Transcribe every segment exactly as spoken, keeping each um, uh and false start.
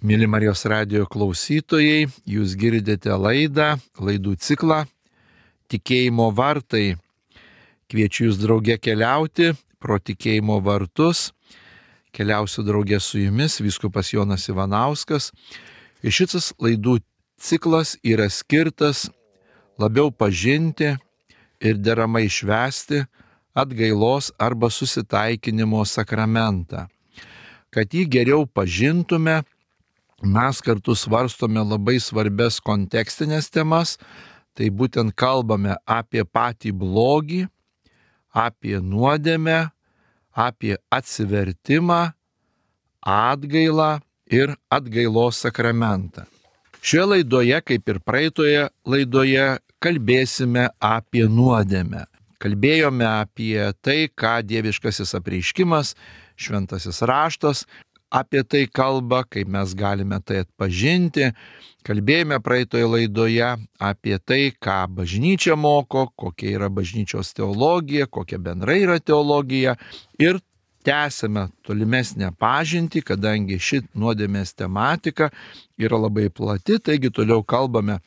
Mėly Marijos radijo klausytojai, jūs girdite laidą, laidų ciklą Tikėjimo vartai. Kviečiu jūs drauge keliauti pro tikėjimo vartus. Keliausiu drauge su jumis, vyskupas Jonas Ivanauskas. Ir šitas laidų ciklas yra skirtas labiau pažinti ir deramai švęsti atgailos arba susitaikinimo sakramentą. Kad jį geriau pažintume, mes kartu svarstome labai svarbias kontekstinės temas, tai būtent kalbame apie patį blogį, apie nuodėmę, apie atsivertimą, atgailą ir atgailos sakramentą. Šioje laidoje, kaip ir praeitoje laidoje, kalbėsime apie nuodėmę. Kalbėjome apie tai, ką dieviškasis apreiškimas, šventasis raštas apie tai kalba, kaip mes galime tai atpažinti. Kalbėjome praeitoje laidoje apie tai, ką bažnyčia moko, kokia yra bažnyčios teologija, kokia bendrai yra teologija. Ir tęsime tolimesnę pažintį, kadangi ši nuodėmės tematika yra labai plati, taigi toliau kalbame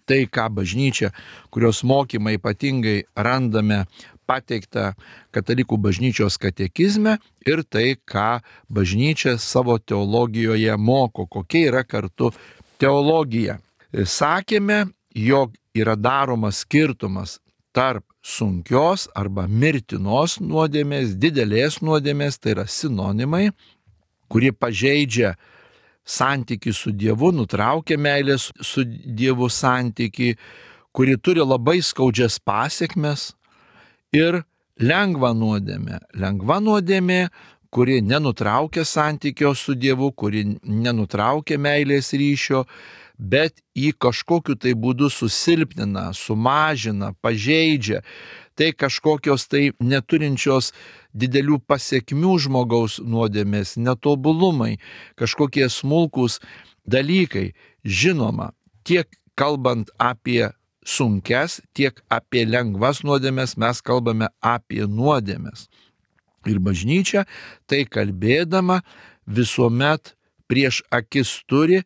tai, ką bažnyčia, kurios mokymą ypatingai randame pateikta katalikų bažnyčios katekizme ir tai, ką bažnyčia savo teologijoje moko, kokia yra kartu teologija. Sakėme, jog yra daromas skirtumas tarp sunkios arba mirtinos nuodėmės, didelės nuodėmės, tai yra sinonimai, kuri pažeidžia santyki su Dievu, nutraukia meilės su Dievu santyki, kuri turi labai skaudžias pasiekmes. Ir lengva nuodėmė. Lengva nuodėmė, kuri nenutraukia santykio su Dievu, kuri nenutraukia meilės ryšio, bet jį kažkokiu tai būdu susilpnina, sumažina, pažeidžia. Tai kažkokios tai neturinčios didelių pasiekmių žmogaus nuodėmės, netobulumai, kažkokie smulkūs dalykai. Žinoma, tiek kalbant apie sunkes, tiek apie lengvas nuodėmės mes kalbame apie nuodėmės. Ir bažnyčia, tai kalbėdama, visuomet prieš akis turi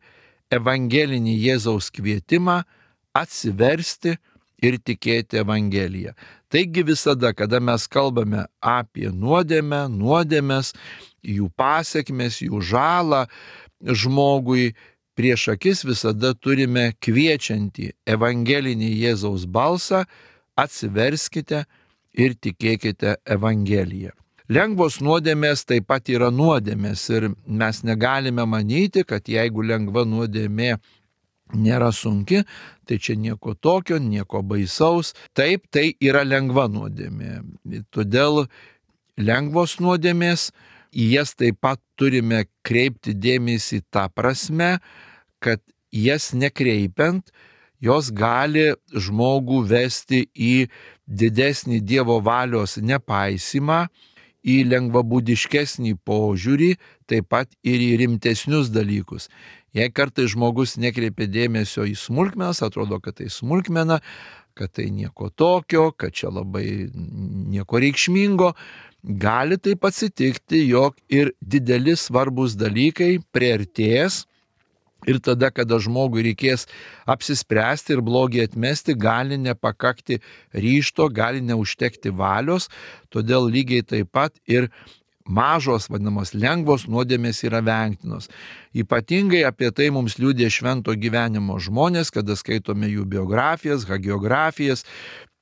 evangelinį Jėzaus kvietimą atsiversti ir tikėti Evangeliją. Taigi visada, kada mes kalbame apie nuodėmę, nuodėmės, jų pasiekmes, jų žalą žmogui, prieš akis visada turime kviečiantį evangelinį Jėzaus balsą, atsiverskite ir tikėkite Evangeliją. Lengvos nuodėmės taip pat yra nuodėmės ir mes negalime manyti, kad jeigu lengva nuodėmė nėra sunki, tai čia nieko tokio, nieko baisaus. Taip, tai yra lengva nuodėmė. Todėl lengvos nuodėmės, į jas taip pat turime kreipti dėmesį tą prasme, kad jas nekreipiant, jos gali žmogų vesti į didesnį Dievo valios nepaisimą, į lengvabūdiškesnį požiūrį, taip pat ir į rimtesnius dalykus. Jei kartais žmogus nekreipia dėmesio į smulkmenas, atrodo, kad tai smulkmena, kad tai nieko tokio, kad čia labai nieko reikšmingo, gali taip atsitikti, jog ir dideli svarbus dalykai priartės ir tada, kada žmogui reikės apsispręsti ir blogį atmesti, gali nepakakti ryžto, gali neužtekti valios, todėl lygiai taip pat ir mažos, vadinamos lengvos nuodėmės yra vengtinos. Ypatingai apie tai mums liudija švento gyvenimo žmonės, kada skaitome jų biografijas, hagiografijas,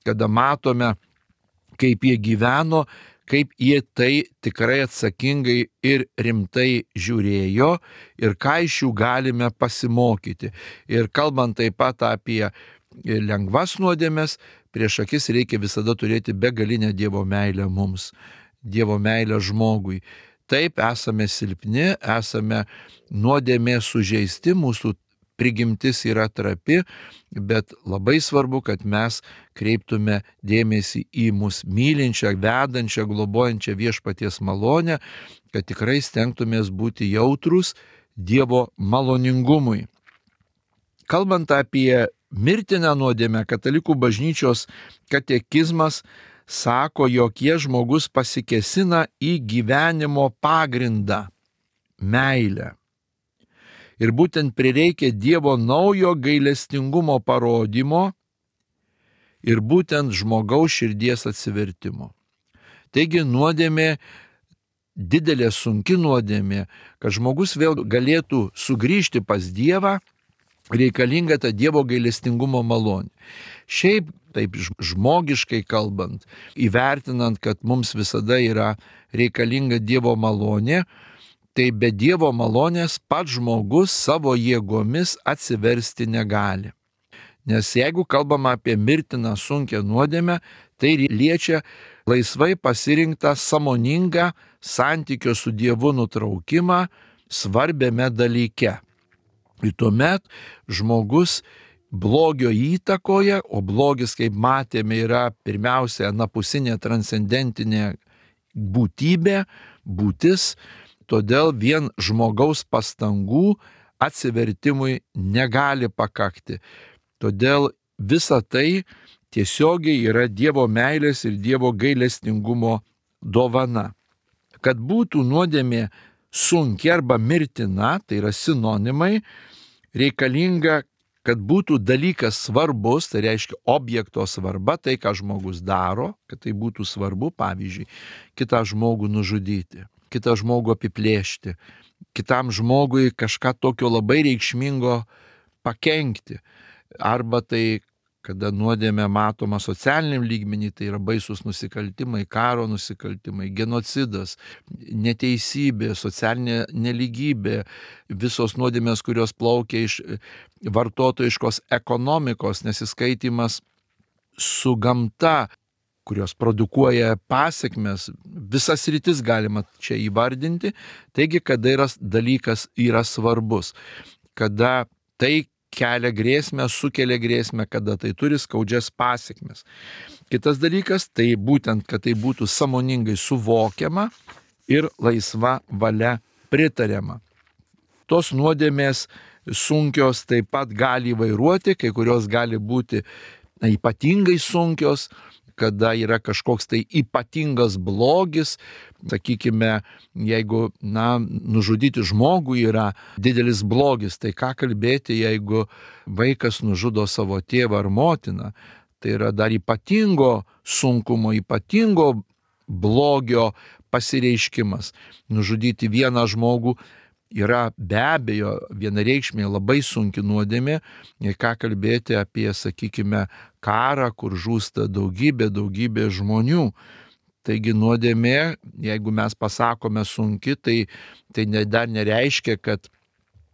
kada matome, kaip jie gyveno, kaip jie tai tikrai atsakingai ir rimtai žiūrėjo ir ką iš jų galime pasimokyti. Ir kalbant taip pat apie lengvas nuodėmės, prieš akis reikia visada turėti begalinę Dievo meilę mums, Dievo meilę žmogui. Taip, esame silpni, esame nuodėmė sužeisti, mūsų prigimtis yra trapi, bet labai svarbu, kad mes kreiptume dėmesį į mus mylinčią, vedančią, globojančią viešpaties malonę, kad tikrai stengtumės būti jautrus Dievo maloningumui. Kalbant apie mirtiną nuodėmę, katalikų bažnyčios katekizmas sako, jog jie žmogus pasikėsina į gyvenimo pagrindą – meilę. Ir būtent prireikia Dievo naujo gailestingumo parodymo ir būtent žmogaus širdies atsivertimo. Taigi nuodėmė, didelė sunki nuodėmė, kad žmogus vėl galėtų sugrįžti pas Dievą, reikalinga ta Dievo gailestingumo malonė. Šiaip, taip žmogiškai kalbant, įvertinant, kad mums visada yra reikalinga Dievo malonė, tai be Dievo malonės pats žmogus savo jėgomis atsiversti negali. Nes jeigu kalbama apie mirtiną sunkią nuodėmę, tai liečia laisvai pasirinktą sąmoningą santykio su Dievu nutraukimą svarbiame dalyke. Ir tuomet žmogus blogio įtakoje, o blogis, kaip matėme, yra pirmiausia anapusinė transcendentinė būtybė, būtis, todėl vien žmogaus pastangų atsivertimui negali pakakti. Todėl visa tai tiesiogiai yra Dievo meilės ir Dievo gailestingumo dovana. Kad būtų nuodėmė sunki arba mirtina, tai yra sinonimai, reikalinga, kad būtų dalykas svarbus, tai reiškia objekto svarba, tai ką žmogus daro, kad tai būtų svarbu, pavyzdžiui, kitą žmogų nužudyti, kitą žmogų apiplėšti, kitam žmogui kažką tokio labai reikšmingo pakenkti. Arba tai, kada nuodėmė matoma socialiniam lygmenį, tai yra baisus nusikaltimai, karo nusikaltimai, genocidas, neteisybė, socialinė nelygybė, visos nuodėmės, kurios plaukia iš vartotojiškos ekonomikos, nesiskaitimas su gamta, kurios produkuoja pasekmes, visas rytis galima čia įvardinti. Taigi, kada yra dalykas yra svarbus, kada tai kelia grėsmę, sukelia grėsmę, kada tai turi skaudžias pasekmes. Kitas dalykas, tai būtent, kad tai būtų sąmoningai suvokiama ir laisva valia pritariama. Tos nuodėmės sunkios taip pat gali vairuoti, kai kurios gali būti na, ypatingai sunkios, kada yra kažkoks tai ypatingas blogis, sakykime, jeigu na, nužudyti žmogų yra didelis blogis, tai ką kalbėti, jeigu vaikas nužudo savo tėvą ar motiną, tai yra dar ypatingo sunkumo, ypatingo blogio pasireiškimas. Nužudyti vieną žmogų yra be abejo vienareikšmiai labai sunki nuodėmė, ką kalbėti apie, sakykime, karą, kur žūsta daugybė, daugybė žmonių. Taigi nuodėmė, jeigu mes pasakome sunki, tai, tai dar nereiškia, kad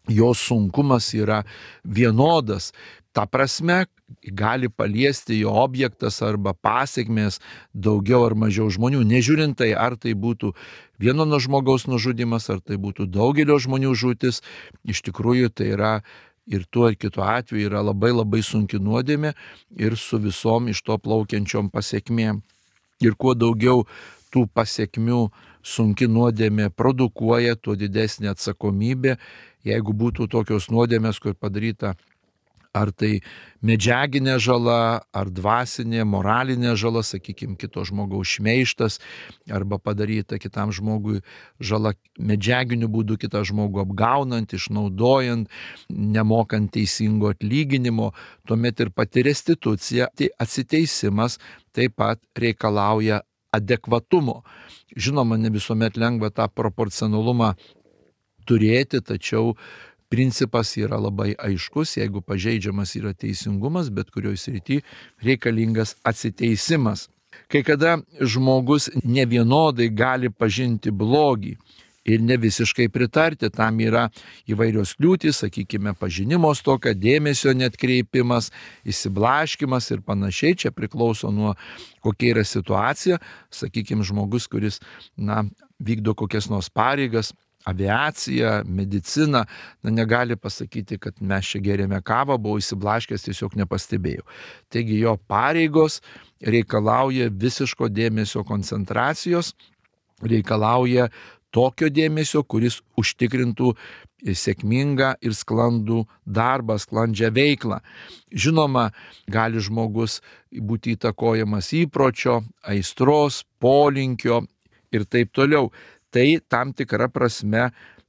jos sunkumas yra vienodas. Ta prasme, gali paliesti jo objektas arba pasekmės daugiau ar mažiau žmonių, nežiūrint tai, ar tai būtų vieno nuo žmogaus nužudimas, ar tai būtų daugelio žmonių žūtis, iš tikrųjų tai yra ir tuo ir kitu atveju yra labai labai sunki nuodėmė ir su visom iš to plaukiančiom pasekmėm. Ir kuo daugiau tų pasekmių sunki nuodėmė produkuoja, tuo didesnė atsakomybė. Jeigu būtų tokios nuodėmės, kur padaryta ar tai medžiaginė žala, ar dvasinė, moralinė žala, sakykime, kito žmogaus šmeižtas, arba padaryta kitam žmogui žala medžiaginiu būdu, kitą žmogų apgaunant, išnaudojant, nemokant teisingo atlyginimo, tuomet ir pati restitucija, tai atsiteisimas taip pat reikalauja adekvatumo. Žinoma, ne visuomet lengva tą proporcionalumą turėti, tačiau principas yra labai aiškus, jeigu pažeidžiamas yra teisingumas, bet kurioje srityje reikalingas atsiteisimas. Kai kada žmogus nevienodai gali pažinti blogį ir ne visiškai pritarti, tam yra įvairios kliūtys, sakykime, pažinimo stoka, dėmesio netkreipimas, išsiblaškimas ir panašiai, čia priklauso nuo kokia yra situacija, sakykime, žmogus, kuris na, vykdo kokias nors pareigas, aviacija, medicina, na, negali pasakyti, kad mes čia gėrėme kavą, buvau įsiblaškęs, tiesiog nepastebėjau. Taigi jo pareigos reikalauja visiško dėmesio koncentracijos, reikalauja tokio dėmesio, kuris užtikrintų sėkmingą ir sklandų darbą, sklandžią veiklą. Žinoma, gali žmogus būti įtakojamas įpročio, aistros, polinkio ir taip toliau. Tai tam tikra prasme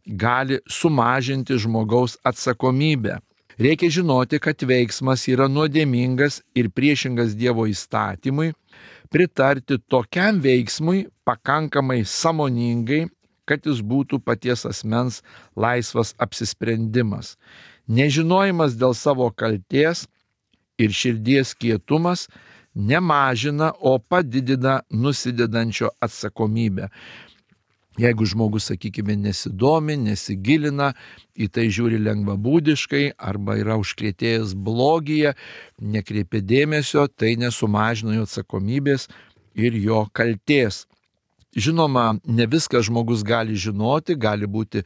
gali sumažinti žmogaus atsakomybę. Reikia žinoti, kad veiksmas yra nuodėmingas ir priešingas Dievo įstatymui, pritarti tokiam veiksmui pakankamai sąmoningai, kad jis būtų paties asmens laisvas apsisprendimas. Nežinojimas dėl savo kaltės ir širdies kietumas nemažina, o padidina nusidedančio atsakomybę. Jeigu žmogus, sakykime, nesidomi, nesigilina, į tai žiūri lengvabūdiškai arba yra užkrėtėjęs blogyje, nekreipia dėmesio, tai nesumažina jo atsakomybės ir jo kaltės. Žinoma, ne viską žmogus gali žinoti, gali būti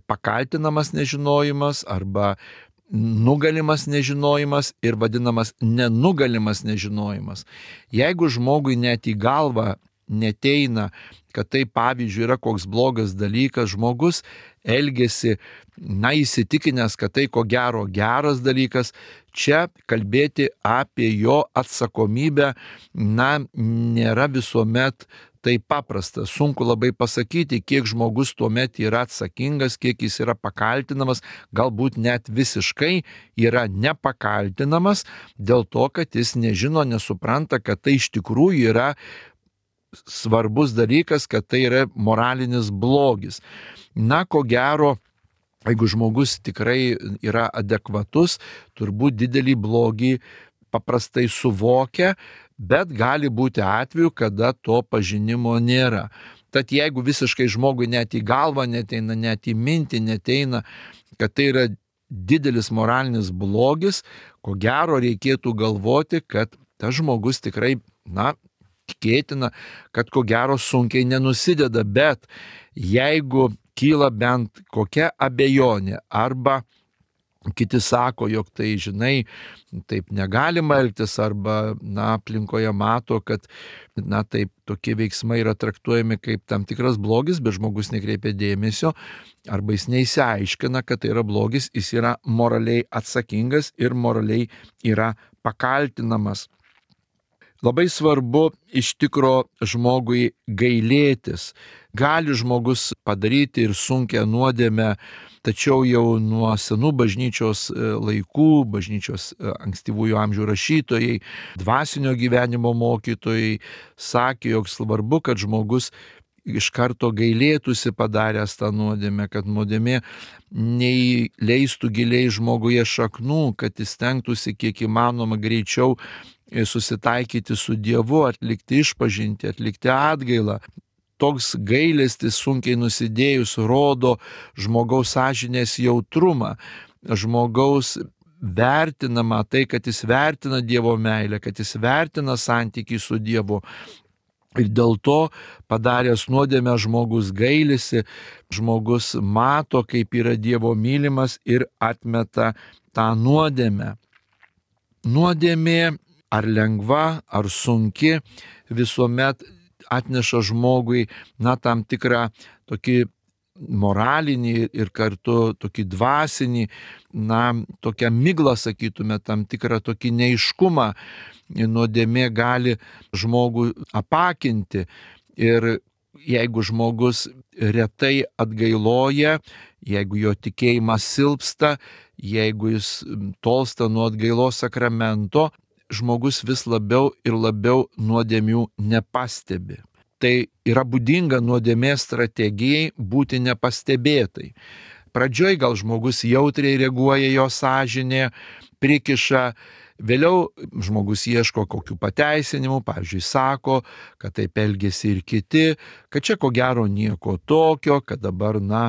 pakaltinamas nežinojimas arba nugalimas nežinojimas ir vadinamas nenugalimas nežinojimas. Jeigu žmogui net į galvą neteina, kad tai pavyzdžiui yra koks blogas dalykas, žmogus elgesi, na, įsitikinęs, kad tai ko gero geras dalykas, čia kalbėti apie jo atsakomybę, na, nėra visuomet taip paprasta. Sunku labai pasakyti, kiek žmogus tuomet yra atsakingas, kiek jis yra pakaltinamas, galbūt net visiškai yra nepakaltinamas dėl to, kad jis nežino, nesupranta, kad tai iš tikrųjų yra svarbus dalykas, kad tai yra moralinis blogis. Na, ko gero, jeigu žmogus tikrai yra adekvatus, turbūt didelį blogį paprastai suvokia, bet gali būti atvejų, kada to pažinimo nėra. Tad jeigu visiškai žmogui net į galvą neteina, net į mintį neteina, kad tai yra didelis moralinis blogis, ko gero reikėtų galvoti, kad tas žmogus tikrai, na, tikėtina, kad ko gero sunkiai nenusideda, bet jeigu kyla bent kokia abejonė arba kiti sako, jog tai, žinai, taip negalima elgtis, arba, na, aplinkoje mato, kad, na, taip, tokie veiksmai yra traktuojami kaip tam tikras blogis, bet žmogus nekreipia dėmesio, arba jis neįsiaiškina, kad tai yra blogis, jis yra moraliai atsakingas ir moraliai yra pakaltinamas. Labai svarbu iš tikro žmogui gailėtis. Gali žmogus padaryti ir sunkią nuodėmę, tačiau jau nuo senų bažnyčios laikų, bažnyčios ankstyvųjų amžių rašytojai, dvasinio gyvenimo mokytojai sakė, jog svarbu, kad žmogus iš karto gailėtųsi padaręs tą nuodėmę, kad nuodėmė neįleistų giliai žmoguje šaknų, kad jis stengtųsi kiek įmanoma greičiau susitaikyti su Dievu, atlikti išpažintį, atlikti atgailą. Toks gailestis sunkiai nusidėjus rodo žmogaus sąžinės jautrumą, žmogaus vertinama tai, kad jis vertina Dievo meilę, kad jis vertina santykį su Dievu. Ir dėl to padaręs nuodėmę žmogus gailisi, žmogus mato, kaip yra Dievo mylimas ir atmeta tą nuodėmę. Nuodėmė ar lengva, ar sunki, visuomet atneša žmogui, na, tam tikrą tokį moralinį ir kartu tokį dvasinį, na, tokią miglą, sakytume, tam tikrą tokį neiškumą. Nuodėmė gali žmogų apakinti ir jeigu žmogus retai atgailoja, jeigu jo tikėjimas silpsta, jeigu jis tolsta nuo atgailos sakramento, žmogus vis labiau ir labiau nuodėmių nepastebi. Tai yra būdinga nuodėmės strategijai būti nepastebėtai. Pradžioj gal žmogus jautriai reaguoja, jo sąžinė prikiša, vėliau žmogus ieško kokių pateisinimų, pavyzdžiui, sako, kad taip elgėsi ir kiti, kad čia ko gero nieko tokio, kad dabar, na,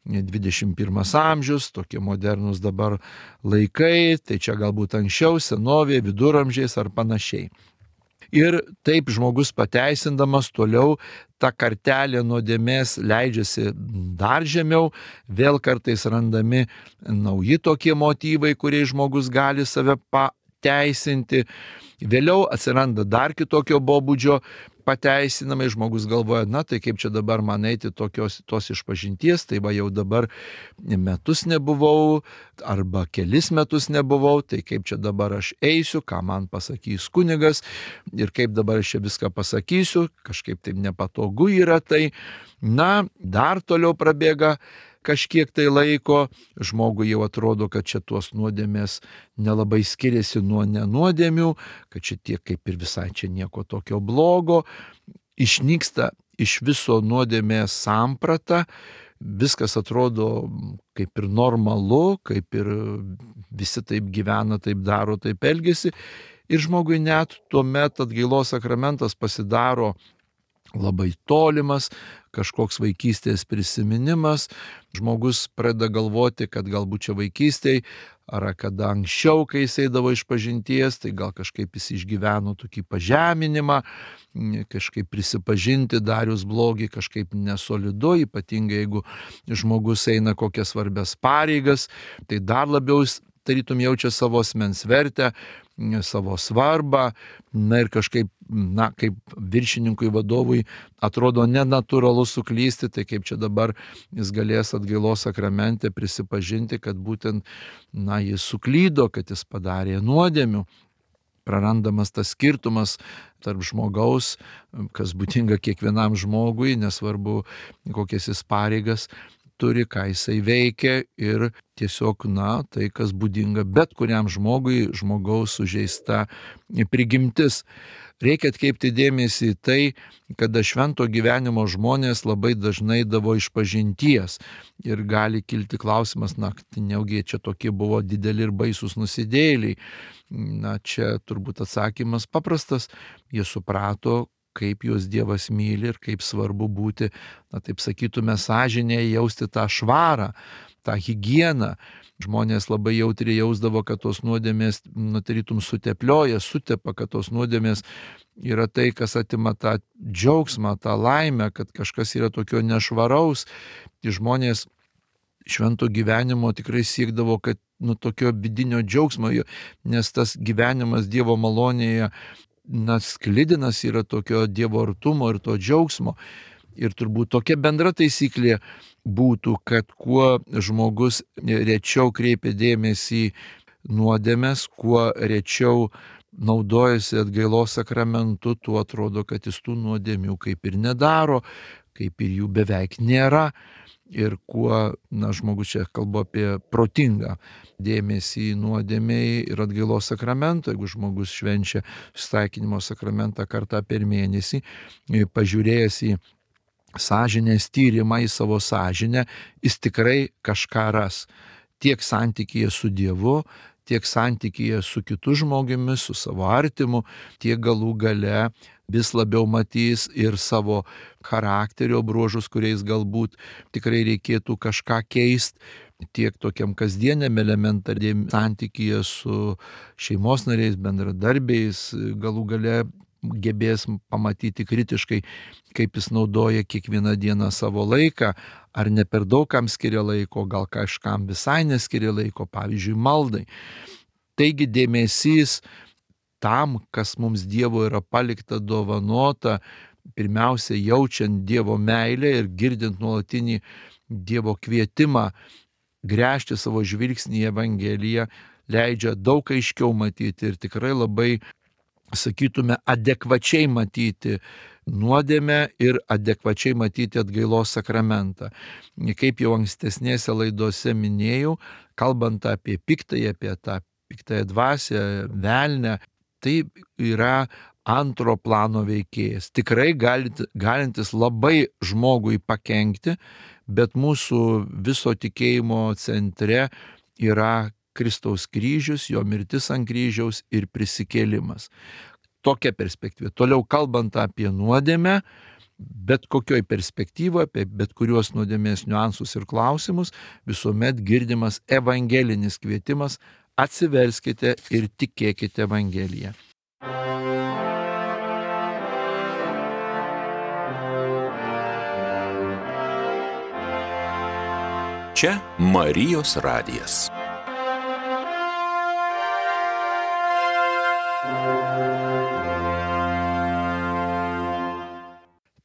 dvidešimt pirmas amžius, tokie modernus dabar laikai, tai čia galbūt anksčiau, senovė, viduramžiais ar panašiai. Ir taip žmogus pateisindamas toliau tą kartelę nuodėmės leidžiasi dar žemiau, vėl kartais randami nauji tokie motyvai, kuriais žmogus gali save pateisinti. Vėliau atsiranda dar kitokio pobūdžio pateisinamai, žmogus galvoja, na tai kaip čia dabar man eiti tokios, tos išpažinties, tai va jau dabar metus nebuvau, arba kelis metus nebuvau, tai kaip čia dabar aš eisiu, ką man pasakys kunigas ir kaip dabar aš čia viską pasakysiu, kažkaip taip nepatogu yra tai. Na, dar toliau prabėga kažkiek tai laiko, žmogui jau atrodo, kad čia tuos nuodėmės nelabai skiriasi nuo nenuodėmių, kad šitie kaip ir visai čia nieko tokio blogo, išnyksta iš viso nuodėmės samprata, viskas atrodo kaip ir normalu, kaip ir visi taip gyvena, taip daro, taip elgesi. Ir žmogui net tuomet atgailos sakramentas pasidaro labai tolimas, kažkoks vaikystės prisiminimas. Žmogus pradeda galvoti, kad galbūt čia vaikystėj, ar kada anksčiau, kai jis eidavo iš pažinties, tai gal kažkaip jis išgyveno tokį pažeminimą, kažkaip prisipažinti darius blogį, kažkaip nesolidu, ypatingai jeigu žmogus eina kokias svarbias pareigas, tai dar labiau jis tarytum jaučia savo asmens vertę, savo svarbą, na ir kažkaip, na, kaip viršininkui, vadovui atrodo nenatūralu suklysti, tai kaip čia dabar jis galės atgailos sakramente prisipažinti, kad būtent, na, jis suklydo, kad jis padarė nuodėmių. Prarandamas tas skirtumas tarp žmogaus, kas būdinga kiekvienam žmogui, nesvarbu kokias jis pareigas turi, ką jisai veikia, ir tiesiog, na, tai, kas būdinga bet kuriam žmogui, žmogaus sužeista prigimtis. Reikia atkreipti dėmesį į tai, kada švento gyvenimo žmonės labai dažnai davo išpažinties. Ir gali kilti klausimas, na, neugi čia tokie buvo dideli ir baisus nusidėjėliai. Na, čia turbūt atsakymas paprastas. Jie suprato, kaip juos Dievas myli ir kaip svarbu būti, na, taip sakytume, sąžinėje, jausti tą švarą, tą higieną. Žmonės labai jautriai jausdavo, kad tos nuodėmės, na, tarytum suteplioja, sutepa, kad tos nuodėmės yra tai, kas atima tą džiaugsmą, tą laimę, kad kažkas yra tokio nešvaraus. Žmonės švento gyvenimo tikrai siekdavo, kad, nu, tokio vidinio džiaugsmo, nes tas gyvenimas Dievo malonėje, na, sklidinas yra tokio Dievo artumo ir to džiaugsmo. Ir turbūt tokia bendra taisyklė būtų, kad kuo žmogus rečiau kreipia dėmesį nuodėmes, kuo rečiau naudojasi atgailos sakramentu, tuo atrodo, kad jis tų nuodėmių kaip ir nedaro, kaip ir jų beveik nėra. Ir kuo, na, žmogus, čia kalba apie protingą dėmesį nuodėmei ir atgailos sakramento, jeigu žmogus švenčia susitaikinimo sakramentą kartą per mėnesį, pažiūrėjęs į sąžinės tyrimą, į savo sąžinę, jis tikrai kažką ras. Tiek santykyje su Dievu, tiek santykyje su kitu žmogumi, su savo artimu, tiek galų gale vis labiau matys ir savo charakterio bruožus, kuriais galbūt tikrai reikėtų kažką keisti, tiek tokiam kasdieniam elementariam santykyje su šeimos nariais, bendradarbiais, galų gale gebės pamatyti kritiškai, kaip jis naudoja kiekvieną dieną savo laiką, ar ne per daug kam skiria laiko, gal kažkam visai neskiria laiko, pavyzdžiui, maldai. Taigi dėmesys tam, kas mums Dievo yra palikta, dovanota, pirmiausia jaučiant Dievo meilę ir girdint nuolatinį Dievo kvietimą gręžti savo žvilgsnį į Evangeliją, leidžia daug aiškiau matyti ir tikrai labai, sakytume, adekvačiai matyti nuodėmę ir adekvačiai matyti atgailos sakramentą. Kaip jau ankstesnėse laidose minėjau, kalbant apie piktąją, apie tą piktąją dvasią, velnę, tai yra antro plano veikėjas. Tikrai galintis labai žmogui pakenkti, bet mūsų viso tikėjimo centre yra Kristaus kryžius, jo mirtis ant kryžiaus ir prisikėlimas. Tokia perspektyva. Toliau kalbant apie nuodėmę, bet kokioj perspektyvoje, apie bet kuriuos nuodėmės niuansus ir klausimus, visuomet girdimas evangelinis kvietimas: atsiverskite ir tikėkite Evangeliją. Čia Marijos radijas.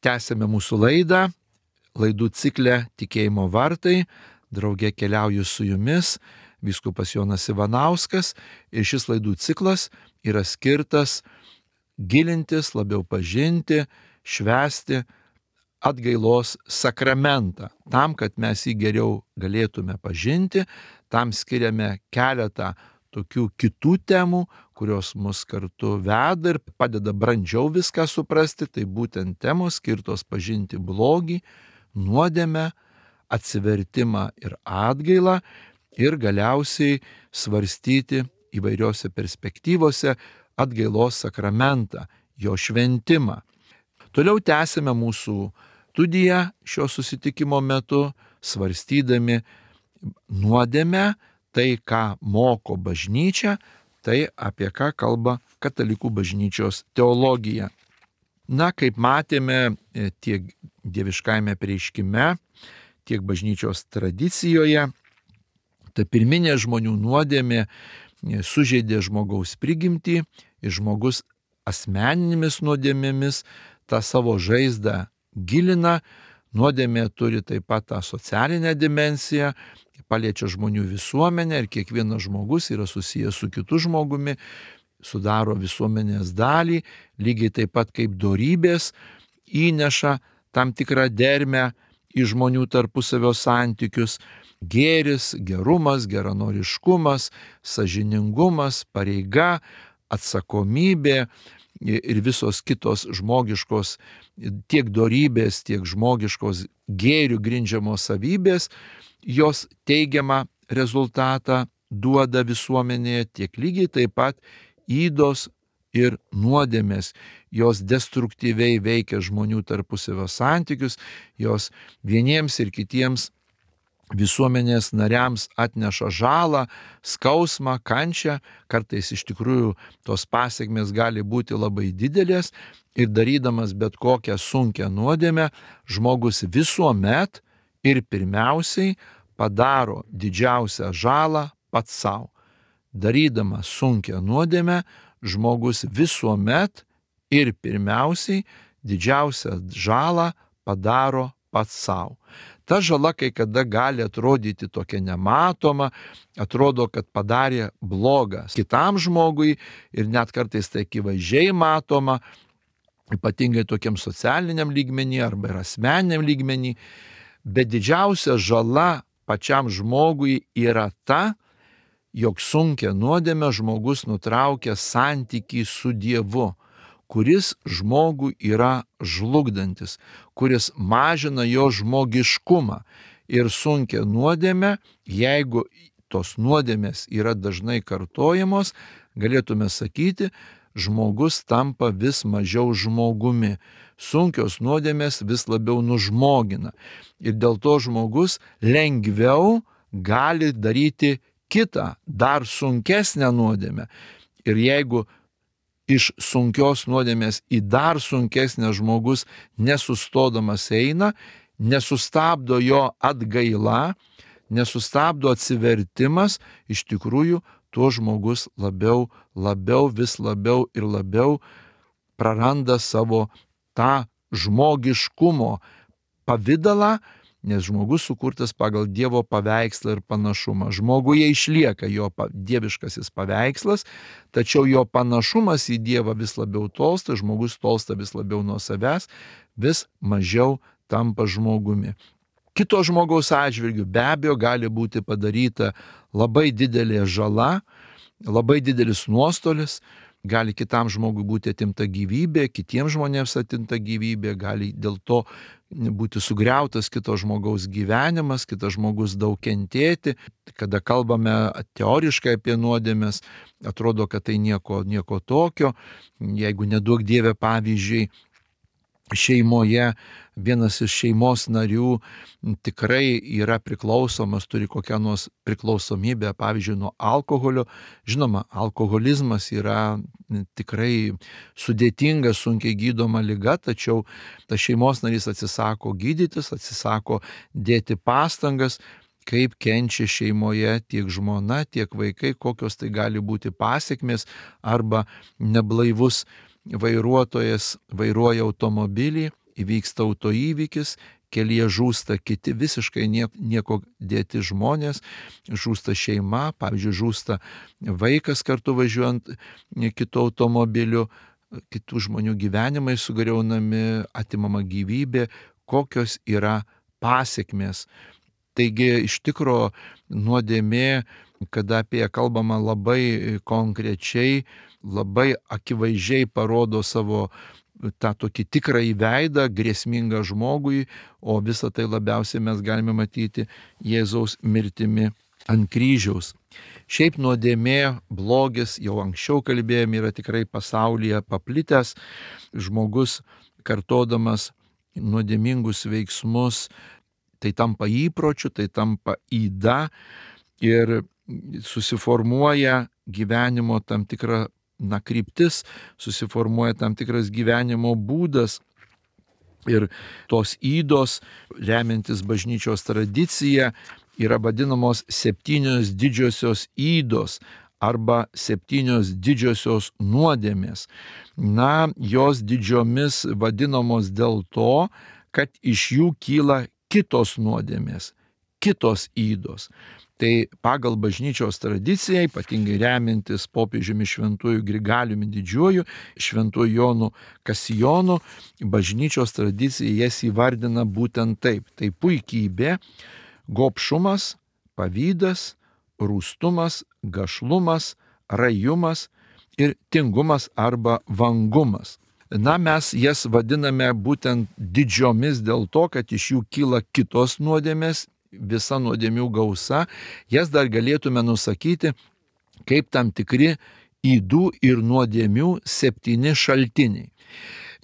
Tęsėme mūsų laidą, laidų ciklę Tikėjimo vartai. Drauge keliauju su jumis, vyskupas Jonas Ivanauskas, ir šis laidų ciklas yra skirtas gilintis, labiau pažinti, švęsti atgailos sakramentą. Tam, kad mes jį geriau galėtume pažinti, tam skiriame keletą tokių kitų temų, kurios mus kartu veda ir padeda brandžiau viską suprasti. Tai būtent temos skirtos pažinti blogį, nuodėmę, atsivertimą ir atgailą ir galiausiai svarstyti įvairiose perspektyvose atgailos sakramentą, jo šventimą. Toliau tęsime mūsų studiją šio susitikimo metu, svarstydami nuodėmę, tai, ką moko bažnyčia, tai apie ką kalba katalikų bažnyčios teologija. Na, kaip matėme tiek dieviškajame apreiškime, tiek bažnyčios tradicijoje, ta pirminė žmonių nuodėmė sužeidė žmogaus prigimtį ir žmogus asmeninėmis nuodėmėmis tą savo žaizdą gilina. Nuodėmė turi taip pat tą socialinę dimensiją, paliečia žmonių visuomenę ir kiekvienas žmogus yra susijęs su kitu žmogumi, sudaro visuomenės dalį, lygiai taip pat kaip dorybės įneša tam tikrą dermę į žmonių tarpusavio santykius. Gėris, gerumas, geranoriškumas, sąžiningumas, pareiga, atsakomybė ir visos kitos žmogiškos, tiek dorybės, tiek žmogiškos gėrių grindžiamos savybės, jos teigiamą rezultatą duoda visuomenėje, tiek lygiai taip pat ydos ir nuodėmės. Jos destruktyviai veikia žmonių tarpusavio santykius, jos vieniems ir kitiems visuomenės nariams atneša žalą, skausmą, kančią, kartais iš tikrųjų tos pasekmės gali būti labai didelės ir darydamas bet kokią sunkią nuodėmę, žmogus visuomet ir pirmiausiai padaro didžiausią žalą pats savo. Darydamas sunkią nuodėmę, žmogus visuomet ir pirmiausiai didžiausią žalą padaro pats savo. Ta žala kai kada gali atrodyti tokia nematoma, atrodo, kad padarė blogą kitam žmogui ir net kartais tai akivaizdžiai matoma, ypatingai tokiam socialiniam lygmenį arba ir asmeniniam lygmenį, bet didžiausia žala pačiam žmogui yra ta, jog sunkia nuodėmė žmogus nutraukia santykį su Dievu, kuris žmogų yra žlugdantis, kuris mažina jo žmogiškumą. Ir sunkia nuodėmė, jeigu tos nuodėmės yra dažnai kartojamos, galėtume sakyti, žmogus tampa vis mažiau žmogumi. Sunkios nuodėmės vis labiau nužmogina. Ir dėl to žmogus lengviau gali daryti kitą, dar sunkesnę nuodėmę. Ir jeigu iš sunkios nuodėmės į dar sunkesnę žmogus nesustodamas eina, nesustabdo jo atgaila, nesustabdo atsivertimas, iš tikrųjų tuo žmogus labiau, labiau, vis labiau ir labiau praranda savo tą žmogiškumo pavidalą, nes žmogus sukurtas pagal Dievo paveikslą ir panašumą. Žmoguje išlieka jo dieviškasis paveikslas, tačiau jo panašumas į Dievą vis labiau tolsta, žmogus tolsta vis labiau nuo savęs, vis mažiau tampa žmogumi. Kito žmogaus atžvilgiu be abejo gali būti padaryta labai didelė žala, labai didelis nuostolis, gali kitam žmogui būti atimta gyvybė, kitiems žmonėms atimta gyvybė, gali dėl to būti sugriautas kito žmogaus gyvenimas, kitas žmogus daug kentėti. Kada kalbame teoriškai apie nuodėmes, atrodo, kad tai nieko, nieko tokio. Jeigu neduok Dieve, pavyzdžiui, šeimoje vienas iš šeimos narių tikrai yra priklausomas, turi kokią nors priklausomybę, pavyzdžiui, nuo alkoholio. Žinoma, alkoholizmas yra tikrai sudėtinga, sunkiai gydoma liga, tačiau tas šeimos narys atsisako gydytis, atsisako dėti pastangas, kaip kenčia šeimoje tiek žmona, tiek vaikai, kokios tai gali būti pasekmės, arba neblaivus vairuotojas vairuoja automobilį, įvyksta autoįvykis, kelyje žūsta kiti visiškai nieko dėti žmonės, žūsta šeima, pavyzdžiui, žūsta vaikas kartu važiuojant kitu automobiliu, kitų žmonių gyvenimai sugriaunami, atimama gyvybė, kokios yra pasiekmės. Taigi iš tikro nuodėmė, kada apie ją kalbama labai konkrečiai, labai akivaizdžiai parodo savo tą tokį tikrąjį veidą, grėsmingą žmogui, o visą tai labiausiai mes galime matyti Jėzaus mirtimi ant kryžiaus. Šiaip nuodėmė, blogis, jau anksčiau kalbėjome, yra tikrai pasaulyje paplitęs. Žmogus kartodamas nuodėmingus veiksmus, tai tampa įpročiu, tai tampa yda ir susiformuoja gyvenimo tam tikra na, kryptis, susiformuoja tam tikras gyvenimo būdas. Ir tos ydos, remiantis bažnyčios tradicija, yra vadinamos septynios didžiosios ydos arba septynios didžiosios nuodėmės. Na, jos didžiomis vadinamos dėl to, kad iš jų kyla kitos nuodėmės, kitos ydos. Tai pagal bažnyčios tradiciją, ypatingai remiantis popiežiumi šventųjų Grigaliumi Didžiuoju, šventųjų Jonu Kasijonu, bažnyčios tradicija jas įvardina būtent taip. Tai puikybė, gobšumas, pavydas, rūstumas, gašlumas, rajumas ir tingumas arba vangumas. Na, mes jas vadiname būtent didžiomis dėl to, kad iš jų kyla kitos nuodėmės, visa nuodėmių gausa, jas dar galėtume nusakyti kaip tam tikri ydų ir nuodėmių septyni šaltiniai.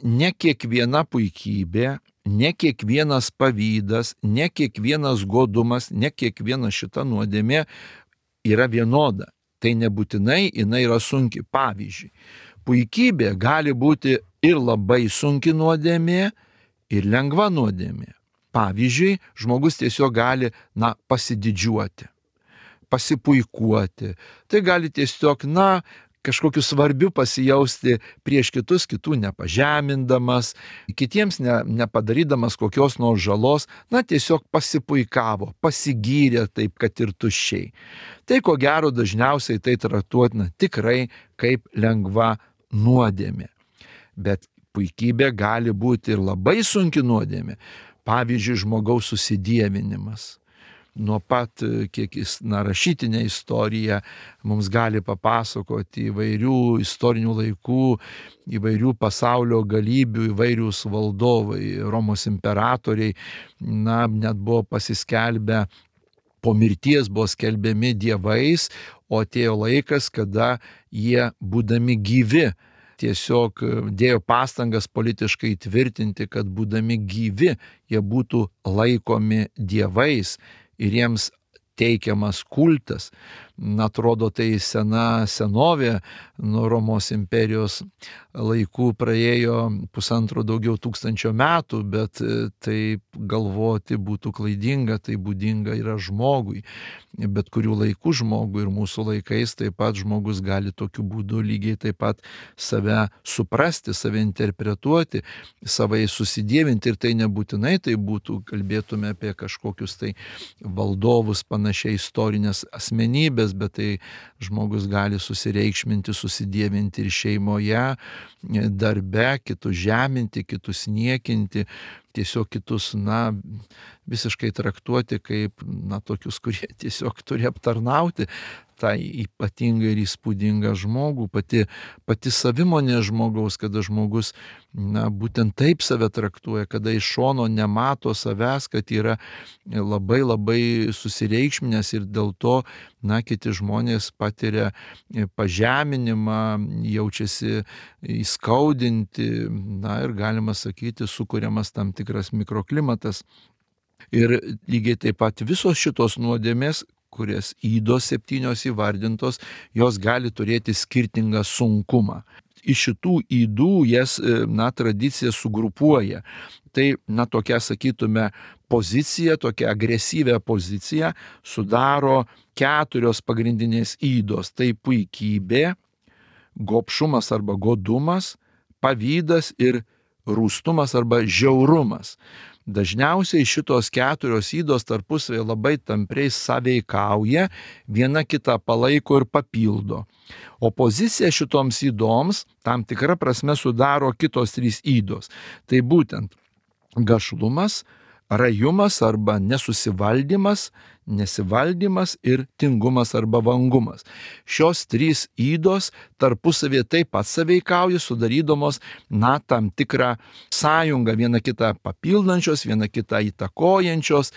Ne kiekviena puikybė, ne kiekvienas pavydas, ne kiekvienas godumas, ne kiekviena šita nuodėmė yra vienoda. Tai nebūtinai jinai yra sunki. Pavyzdžiui, puikybė gali būti ir labai sunki nuodėmė, ir lengva nuodėmė. Pavyzdžiui, žmogus tiesiog gali, na, pasididžiuoti, pasipuikuoti. Tai gali tiesiog, na, kažkokiu svarbiu pasijausti prieš kitus, kitų nepažemindamas, kitiems ne, nepadarydamas kokios nors žalos, na, tiesiog pasipuikavo, pasigyrė taip, kad ir tuščiai. Tai ko gero dažniausiai tai traktuotina tikrai kaip lengva nuodėmė. Bet puikybė gali būti ir labai sunki nuodėmė. Pavyzdžiui, žmogaus susidievinimas. Nuo pat, kiek jis, na, rašytinė istorija mums gali papasakoti įvairių istorinių laikų, įvairių pasaulio galybių, įvairius valdovai, Romos imperatoriai, na, net buvo pasiskelbę, po mirties buvo skelbiami dievais, o atėjo laikas, kada jie, būdami gyvi, tiesiog dėjo pastangas politiškai tvirtinti, kad būdami gyvi, jie būtų laikomi dievais ir jiems teikiamas kultas. Na, atrodo, tai sena senovė, nuo Romos imperijos laikų praėjo pusantro daugiau tūkstančio metų, bet taip galvoti būtų klaidinga, tai būdinga yra žmogui. Bet kurių laikų žmogui ir mūsų laikais taip pat žmogus gali tokiu būdu lygiai taip pat save suprasti, save interpretuoti, savai susidievinti ir tai nebūtinai tai būtų, kalbėtume apie kažkokius tai valdovus, panašiai istorinės asmenybės, bet tai žmogus gali susireikšminti, susidievinti ir šeimoje, darbe, kitus žeminti, kitus niekinti, tiesiog kitus, na, visiškai traktuoti kaip, na, tokius, kurie tiesiog turi aptarnauti tą ypatingą ir įspūdingą žmogų, pati, pati savimonė žmogaus, kada žmogus, na, būtent taip save traktuoja, kada iš šono nemato savęs, kad yra labai labai susireikšminęs ir dėl to, na, kiti žmonės patiria pažeminimą, jaučiasi įskaudinti, na, ir galima sakyti, sukuriamas tam tikras mikroklimatas. Ir lygiai taip pat visos šitos nuodėmės, kurias ydos septynios įvardintos, jos gali turėti skirtingą sunkumą. Iš šitų ydų jas, na, tradicija sugrupuoja. Tai, na, tokia, sakytume, pozicija, tokia agresyvia pozicija sudaro keturios pagrindinės ydos. Tai puikybė, gobšumas arba godumas, pavydas ir rūstumas arba žiaurumas. Dažniausiai šitos keturios ydos tarpusavėje labai tampriai sąveikauja, viena kitą palaiko ir papildo. Opoziciją šitoms ydoms tam tikra prasme sudaro kitos trys ydos. Tai būtent gašlumas, rajumas arba nesusivaldymas, nesivaldymas ir tingumas arba vangumas. Šios trys ydos tarpusavėje taip pat sąveikauja, sudarydamos, na, tam tikrą sąjungą, viena kitą papildančios, viena kitą įtakojančios.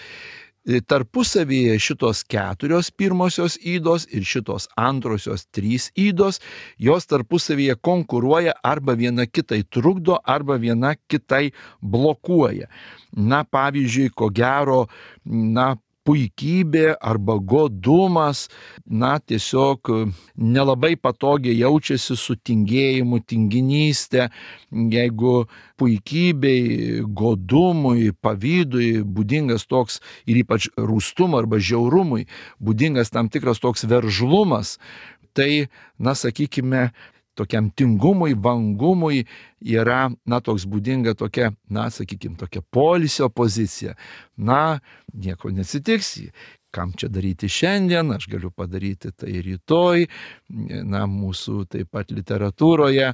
Tarpusavėje šitos keturios pirmosios ydos ir šitos antrosios trys ydos, jos tarpusavėje konkuruoja, arba viena kitai trukdo, arba viena kitai blokuoja. Na, pavyzdžiui, ko gero, na, puikybė arba godumas, na, tiesiog nelabai patogiai jaučiasi su tingėjimu, tinginystė. Jeigu puikybei, godumui, pavydui būdingas toks, ir ypač rūstumui arba žiaurumui būdingas tam tikras toks veržlumas, tai, na, sakykime, tokiam tingumui, vangumui yra, na, toks būdinga tokia, na, sakykime, tokia poilsio pozicija. Na, nieko neatsitiks, kam čia daryti šiandien, aš galiu padaryti tai rytoj. Na, mūsų taip pat literatūroje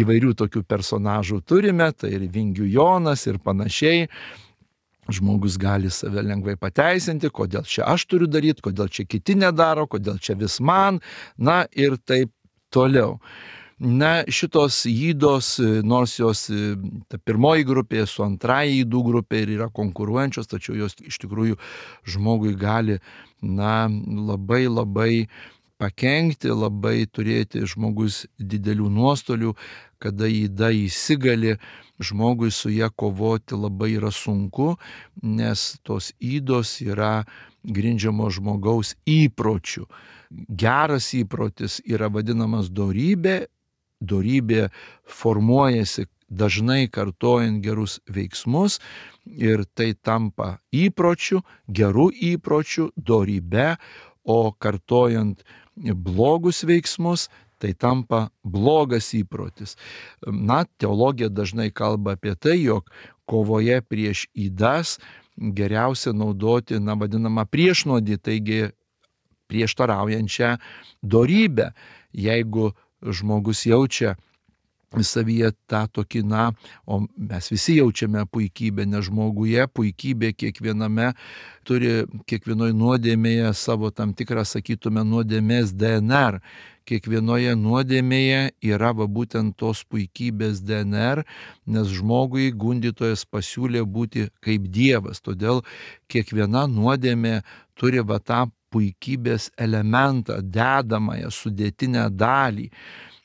įvairių tokių personažų turime, tai ir Vingių Jonas ir panašiai. Žmogus gali save lengvai pateisinti, kodėl čia aš turiu daryti, kodėl čia kiti nedaro, kodėl čia vis man, na, ir taip toliau. Na, šitos ydos, nors jos ta pirmoji grupė su antrąja ydų grupė ir yra konkuruojančios, tačiau jos iš tikrųjų žmogui gali, na, labai labai pakenkti, labai turėti žmogus didelių nuostolių, kada yda įsigali, žmogui su ją kovoti labai yra sunku, nes tos ydos yra grindžiamos žmogaus įpročių. Geras įprotis yra vadinamas dorybė. Dorybė formuojasi dažnai kartojant gerus veiksmus ir tai tampa įpročiu, gerų įpročių, dorybe, o kartojant blogus veiksmus tai tampa blogas įprotis. Na, teologija dažnai kalba apie tai, jog kovoje prieš ydas geriausia naudoti, na, vadinamą priešnuodį, taigi prieštaraujančią dorybę. Jeigu žmogus jaučia savyje tą tokį, na, o mes visi jaučiame puikybę, nes žmoguje puikybė kiekviename turi, kiekvienoje nuodėmėje savo tam tikrą, sakytume, nuodėmės D N R. Kiekvienoje nuodėmėje yra va būtent tos puikybės D N R, nes žmogui gundytojas pasiūlė būti kaip Dievas. Todėl kiekviena nuodėmė turi va tą puikybės elementą, dedamąją, sudėtinę dalį.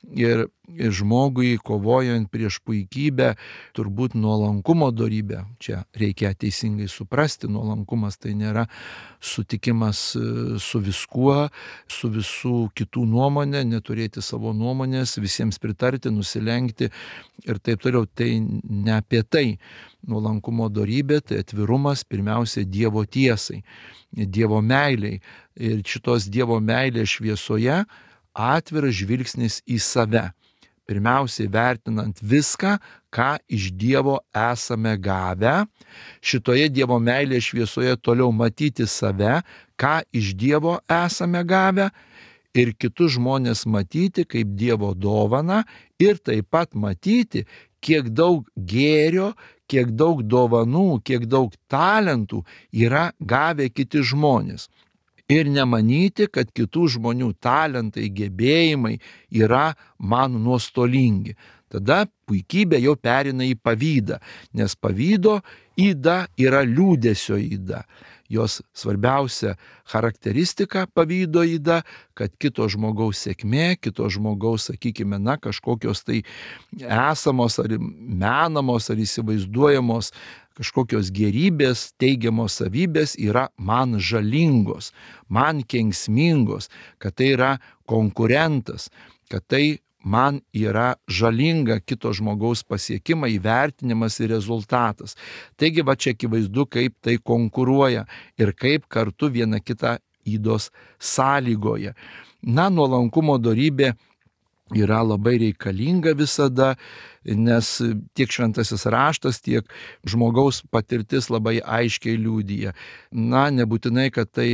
Ir, ir žmogui kovojant prieš puikybę, turbūt nuolankumo dorybę, čia reikia teisingai suprasti, nuolankumas tai nėra sutikimas su viskuo, su visų kitų nuomonė, neturėti savo nuomonės, visiems pritarti, nusilenkti ir taip toliau. Tai ne apie tai. Nuolankumo dorybė tai atvirumas pirmiausia Dievo tiesai, Dievo meiliai. Ir šitos Dievo meilės šviesoje atviras žvilgsnis į save. Pirmiausiai vertinant viską, ką iš Dievo esame gavę. Šitoje Dievo meilės šviesoje toliau matyti save, ką iš Dievo esame gavę. Ir kitus žmonės matyti kaip Dievo dovaną ir taip pat matyti, kiek daug gėrio, kiek daug dovanų, kiek daug talentų yra gavę kiti žmonės. Ir nemanyti, kad kitų žmonių talentai, gebėjimai yra man nuostolingi. Tada puikybė jau perina į pavydą, nes pavydo yda yra liūdesio yda. Jos svarbiausia charakteristika pavydo yda, kad kito žmogaus sėkmė, kito žmogaus, sakykime, na, kažkokios tai esamos ar menamos ar įsivaizduojamos kažkokios gerybės, teigiamos savybės yra man žalingos, man kenksmingos, kad tai yra konkurentas, kad tai man yra žalinga kito žmogaus pasiekimai, įvertinimas ir rezultatas. Taigi va čia akivaizdu, kaip tai konkuruoja ir kaip kartu viena kitą ydos sąlygoja. Na, nuolankumo dorybė yra labai reikalinga visada, nes tiek šventasis raštas, tiek žmogaus patirtis labai aiškiai liudija. Na, nebūtinai, kad tai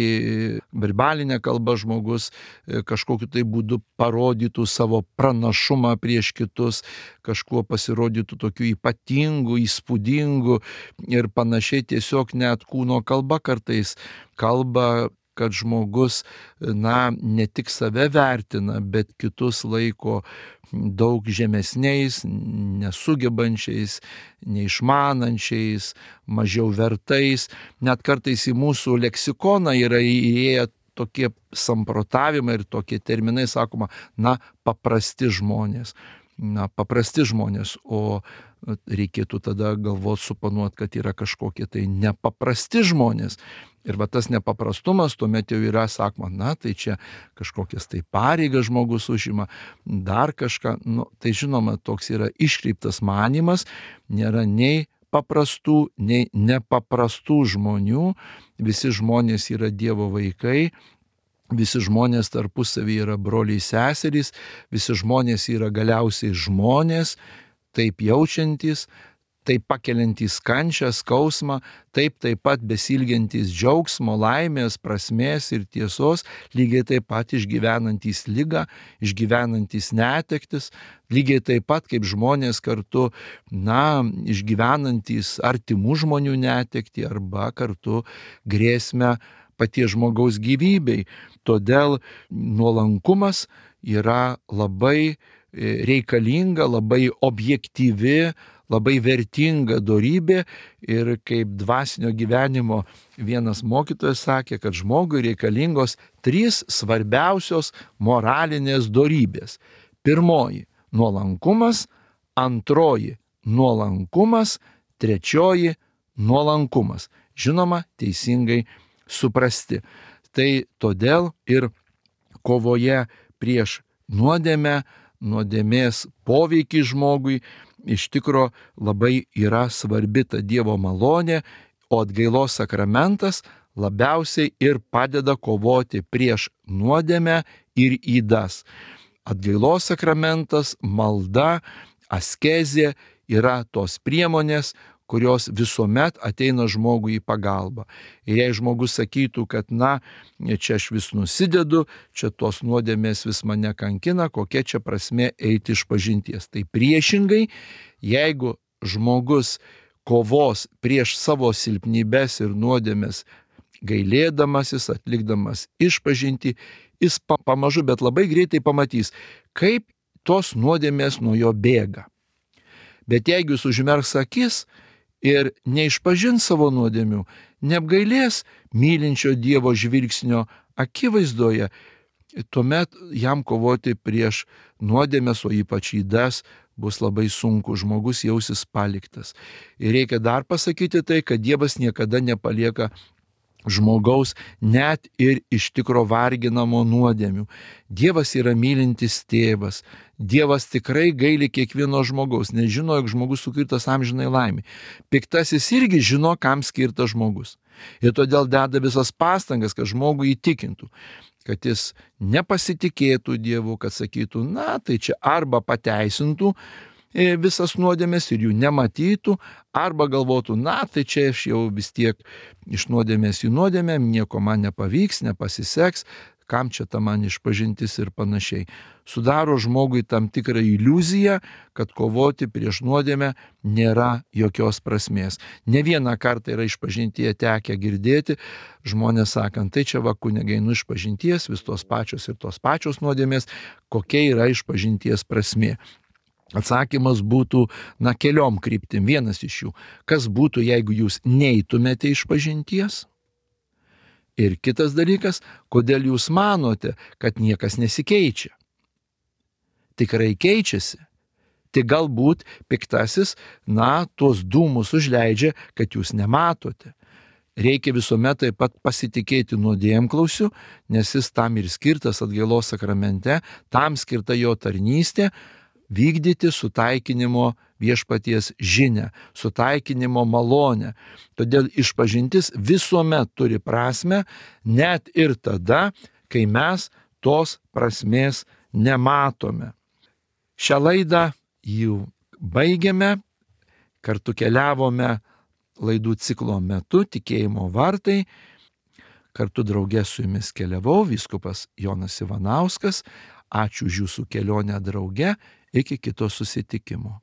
verbalinė kalba žmogus kažkokiu tai būdu parodytų savo pranašumą prieš kitus, kažkuo pasirodytų tokiu ypatingu, įspūdingu ir panašiai, tiesiog net kūno kalba kartais kalba, kad žmogus, na, ne tik save vertina, bet kitus laiko daug žemesniais, nesugebančiais, neišmanančiais, mažiau vertais. Net kartais į mūsų leksikoną yra įėję tokie samprotavimai ir tokie terminai, sakoma, na, paprasti žmonės. Na, paprasti žmonės, o reikėtų tada galvoti, suponuoti, kad yra kažkokie tai nepaprasti žmonės. Ir va tas nepaprastumas tuomet jau yra, sakoma, na, tai čia kažkokias tai pareigas žmogus užima, dar kažką. Nu, tai žinoma, toks yra iškreiptas manymas, nėra nei paprastų, nei nepaprastų žmonių, visi žmonės yra Dievo vaikai. Visi žmonės tarpusavį yra broliai seserys, visi žmonės yra galiausiai žmonės, taip jaučiantys, taip pakeliantys kančią, skausmą, taip taip pat besilgiantys džiaugsmo, laimės, prasmės ir tiesos, lygiai taip pat išgyvenantys ligą, išgyvenantys netektis, lygiai taip pat kaip žmonės kartu, na, išgyvenantys artimų žmonių netektį arba kartu grėsmę paties žmogaus gyvybei. Todėl nuolankumas yra labai reikalinga, labai objektyvi, labai vertinga dorybė ir kaip dvasinio gyvenimo vienas mokytojas sakė, kad žmogui reikalingos trys svarbiausios moralinės dorybės. Pirmoji – nuolankumas, antroji – nuolankumas, trečioji – nuolankumas. Žinoma, teisingai suprasti. Tai todėl ir kovoje prieš nuodėmę, nuodėmės poveikį žmogui iš tikro labai yra svarbi ta Dievo malonė, o atgailos sakramentas labiausiai ir padeda kovoti prieš nuodėmę ir ydas. Atgailos sakramentas, malda, askezė yra tos priemonės, kurios visuomet ateina žmogui į pagalbą. Ir jei žmogus sakytų, kad na, čia aš vis nusidedu, čia tos nuodėmės vis mane kankina, kokia čia prasmė eiti iš pažinties. Tai priešingai, jeigu žmogus kovos prieš savo silpnybes ir nuodėmės, gailėdamasis, atlikdamas išpažintį, jis pamažu, bet labai greitai pamatys, kaip tos nuodėmės nuo jo bėga. Bet jeigu jis užmerks akis ir neišpažins savo nuodėmių, neapgailės mylinčio Dievo žvilgsnio akivaizdoje, tuomet jam kovoti prieš nuodėmes, o ypač ydas, bus labai sunku, žmogus jausis paliktas. Ir reikia dar pasakyti tai, kad Dievas niekada nepalieka žmogaus net ir iš tikro varginamo nuodėmių. Dievas yra mylintis tėvas. Dievas tikrai gaili kiekvieno žmogaus, nes žino, jog žmogus sukurtas amžinai laimei. Piktasis irgi žino, kam skirtas žmogus. Ir todėl deda visas pastangas, kad žmogų įtikintų, kad jis nepasitikėtų Dievu, kad sakytų, na, tai čia arba pateisintų visas nuodėmės ir jų nematytų, arba galvotų, na, tai čia aš jau vis tiek iš nuodėmės į nuodėmę, nieko man nepavyks, nepasiseks, kam čia ta man išpažintis ir panašiai. Sudaro žmogui tam tikrą iliuziją, kad kovoti prieš nuodėmę nėra jokios prasmės. Ne vieną kartą yra išpažintyje tekę girdėti, žmonės sakant, tai čia va kunigai nu išpažinties, vis tos pačios ir tos pačios nuodėmės, kokia yra išpažinties prasmė. Atsakymas būtų, na, keliom kryptim. Vienas iš jų, kas būtų, jeigu jūs neitumėte išpažinties? Ir kitas dalykas, kodėl jūs manote, kad niekas nesikeičia? Tikrai keičiasi. Tik galbūt piktasis, na, tuos dūmus užleidžia, kad jūs nematote. Reikia visuomet taip pat pasitikėti nuodėmklausiu, nes jis tam ir skirtas atgailos sakramente, tam skirta jo tarnystė, vykdyti sutaikinimo viešpaties žinią, sutaikinimo malonę. Todėl išpažintis visuomet turi prasmę, net ir tada, kai mes tos prasmės nematome. Šią laidą jau baigiame. Kartu keliavome laidų ciklo metu Tikėjimo vartai. Kartu draugė su jumis keliavau vyskupas Jonas Ivanauskas. Ačiū už jūsų kelionę drauge. Iki kito susitikimo.